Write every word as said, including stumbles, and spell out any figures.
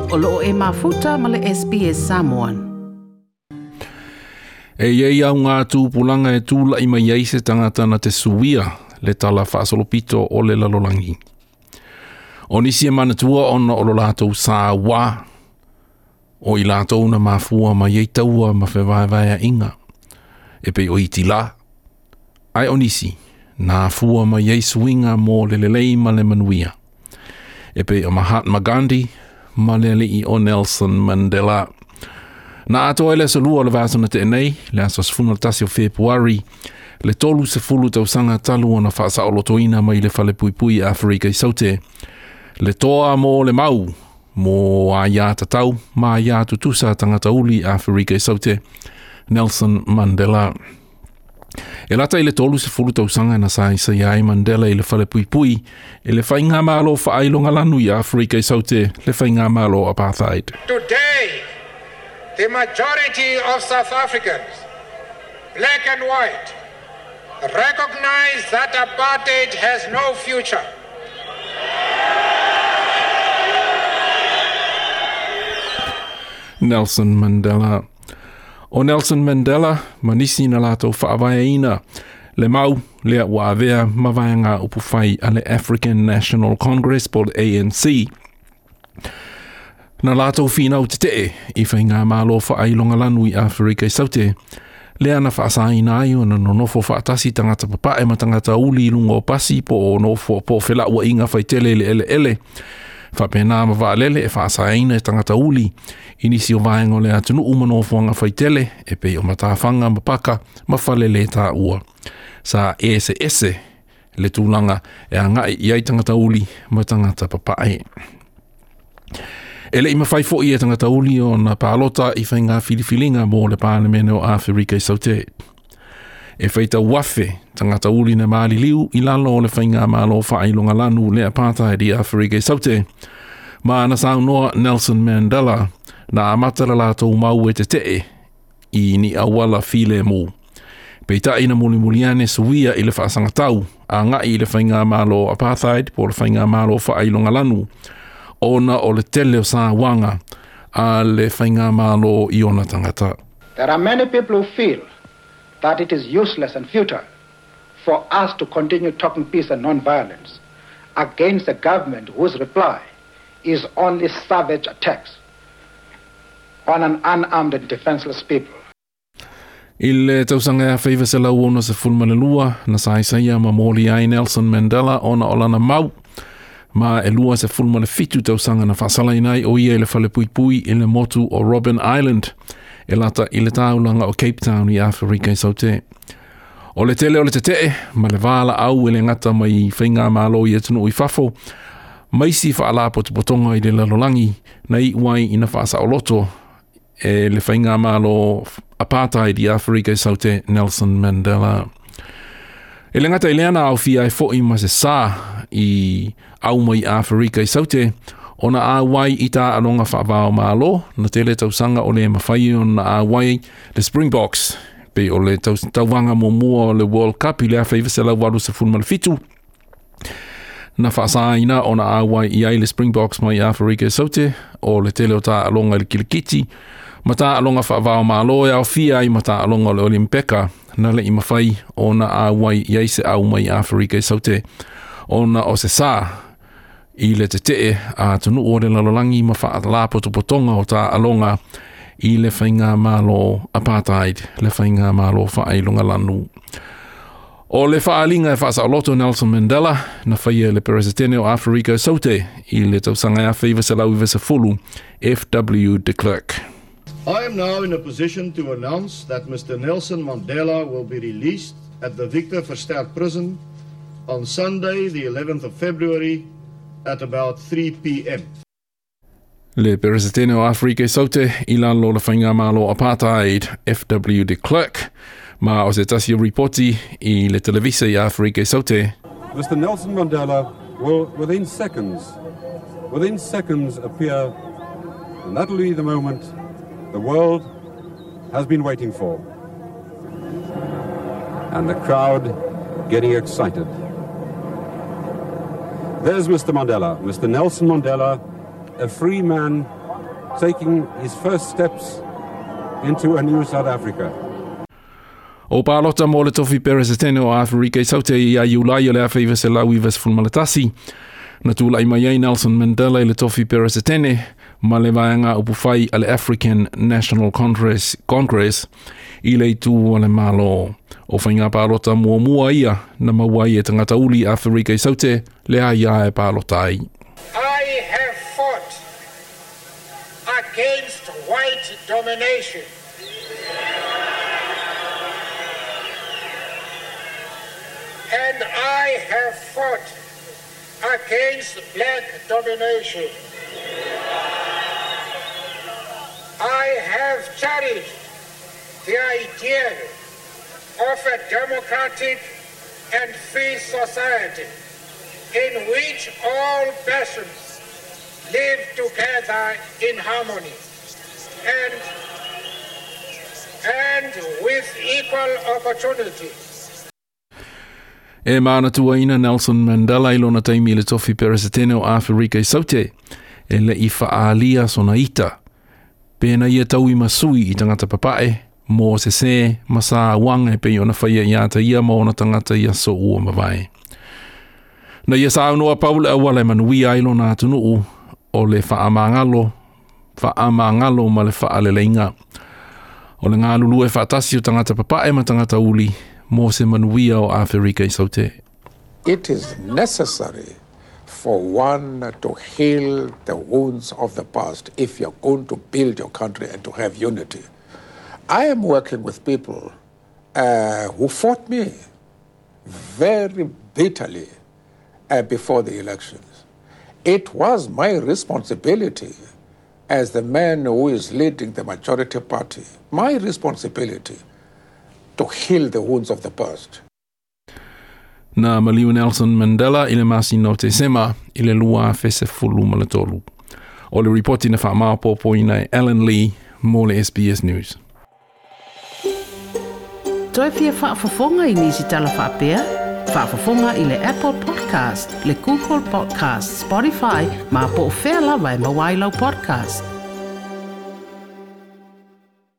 O loo e mafuta ma le S B S Samoan. E iei au ngā tūpulanga e tūla i mai ai se tangata na te suia le tala whaasolopito o le lalolangi. O nisi e manatua ona o lo lātou sā wā, o i lātou na mafua mai ei taua ma whewaewaea inga, e pei o iti la. Ai o nisi, nā fua mai ei suinga mō le lelei ma le manuia. E pei o Mahatma Gandhi, ma le alii o Nelson Mandela. Na atoa ele aso lua o le vasana te nei, le aso sefulu ma le tasi o Februari, le tolu sefulu tausaga talu ona faasaolotoina mai le falepuipui Afrika i Saute. Le toa mō le mau, mō a ia tatau, ma ia tutusa tangata uli Afrika i Saute, Nelson Mandela. E lata i le tolu sefulu tausaga na saisai ai Mandela i le falepuipui, e le faigamalo faailongalanu i Afrika i Saute, le faigamalo apartheid. Today, the majority of South Africans, black and white, recognize that apartheid has no future. Nelson Mandela. O Nelson Mandela, manisi na lātou whaavaeina, le mau lea ua avea mavaenga upu whai a le African National Congress po le A N C. Na lātou whinau te tee i whai ngā malo whaailongalanu i Afrika i Saute. Lea na whaasaina ai o na nonofo whaatasi tangata papae ma tangata uli i lunga o pasi po o nofo po whela ua inga whaitele le ele ele. Whapena ma waalele e whaasaina e tangata uli. I nisi o vaenga o le atunuu ma nofoanga whaitele e pei o matawhanga mapaka ma whalele tā ua. Sa ese ese le tūlanga e angai i ai tangata uli ma tangata papae. E le i mawhai fo i e tangata uli o na pālota i whai ngā filifilinga mō le pālemene o Afrika i Saute. E whaita wafe tangata uli na maali liu i lalo o le whai ngā malo whailonga lanu le apartheid i Afrika i Saute. Ma ana saunoa Nelson Mandela na amata la lātou mau e te tee i ni awala file mō. Peitai na mulimuliane suia i le whaasangatau a ngai i le whai ngā malo apartheid po le whai ngā malo whailonga lanu. Ona o le tele o sā wanga a le whainga malo i ona tangata. There are many people who feel that it is useless and futile for us to continue talking peace and non-violence against a government whose reply is only savage attacks on an unarmed and defenseless people. I le tausaga e whaiva se lau ona se fulma le lua, na saisaia ma mōli ai Nelson Mandela ona o lana mau, ma e lua se fulma le fitu tausaga na faasalaina ai o ia i le falepuipui i le motu o Robben Island, e lata i le taulaga o Cape Town i Afrika i Saute. O le tele o le tetee, ma le vala au e le ngata mai whainga malo i atunuu i fafo, maisi whaalapotopotonga i le lalolangi, na i uai ina whaasaoloto e le whainga malo apartheid i Afrika i Saute Nelson Mandela. E le ngata i leana au fia e fo i ma se sā i au mai Afrika i Saute, ona a wai i tā alonga whaavao malo, na tele tausanga o le mawhai o na a wai le Springboks, pe o le tauwanga mō mua o le World Cup i le awhaiwa se lau walu se fulma le fitu. Na whaasaina o na a wai i ai le Springboks mai Afrika i Saute, o le tele o tā alonga i le kilikiti, ma tā alonga whaavao malo e au fia i ma tā alonga o le Olimpeka, na le i mawhai o na a wai i ai se au mai Afrika i Saute, ona o se sā i le te tee a tunu o le lalolangi ma whaalapotopotonga o tā alonga i le whainga malo apartheid, le whainga malo whailonga lanu. O le whaalinga e whaasaoloto Nelson Mandela na whaia le peresetene o Afrika Saute i le tausaga e awhaiva se lau iwa se fulu F W de Klerk. I am now in a position to announce that Mister Nelson Mandela will be released at the Victor Verster Prison on Sunday, the eleventh of February, at about three p m Le peresetene o Afrika i Saute i lalo le whainga malo apartheid F W de Klerk, ma o se tasi o ripoti i le televisa i Afrika i Saute. Mister Nelson Mandela will, within seconds, within seconds appear, and that will be the moment the world has been waiting for. And the crowd getting excited. There's Mister Mandela, Mister Nelson Mandela, a free man taking his first steps into a new South Africa. O palota mo le tofi peresetene o Aferika i Saute ia Iulai o le afe iwa selau iwa sefulu ma le tasi. Na tula'i mai ai Nelson Mandela i le tofi peresetene ma le vaega upufai a le African National Congress, Congress i le itu o le Malo. O faiga palota muamua ia na maua ai e tagata uli Aferika i Saute le aia e palota ai. I have fought against white domination. And I have fought against black domination. I have cherished the idea of a democratic and free society in which all persons live together in harmony and, and with equal opportunity. E manatuaina Nelson Mandela i lona taimi i le tofi peresetene o Aferika i Saute e le i faalia sona ita. Pena ia tau i masui i tagata papae, mo se se, ma sa wanga e pei ona whaia i ata ia ma ona tagata ia so ua mawai. Na ia sa aunoa paule awala e manuia ai lona atunuu o le whaamangalo, whaamangalo ma le whaaleleinga. O le ngā lulu e whaatasi o tagata papae ma tagata uli, mo se manuia o Aferika i Saute. It is necessary for one to heal the wounds of the past if you're going to build your country and to have unity. I am working with people uh, who fought me very bitterly uh, before the elections. It was my responsibility as the man who is leading the majority party, my responsibility to heal the wounds of the past. Na maliu Nelson Mandela i le masina o Tesema i le lua afe sefulu ma le tolu. O le ripoti na whaamaopopoina e Alan Lee mo le S B S News. Toi fia faafofoga i nisi tala faapea? Faafofoga i le Apple Podcast, le Google Podcast, Spotify, ma po o fea lava e maua ai lau podcast.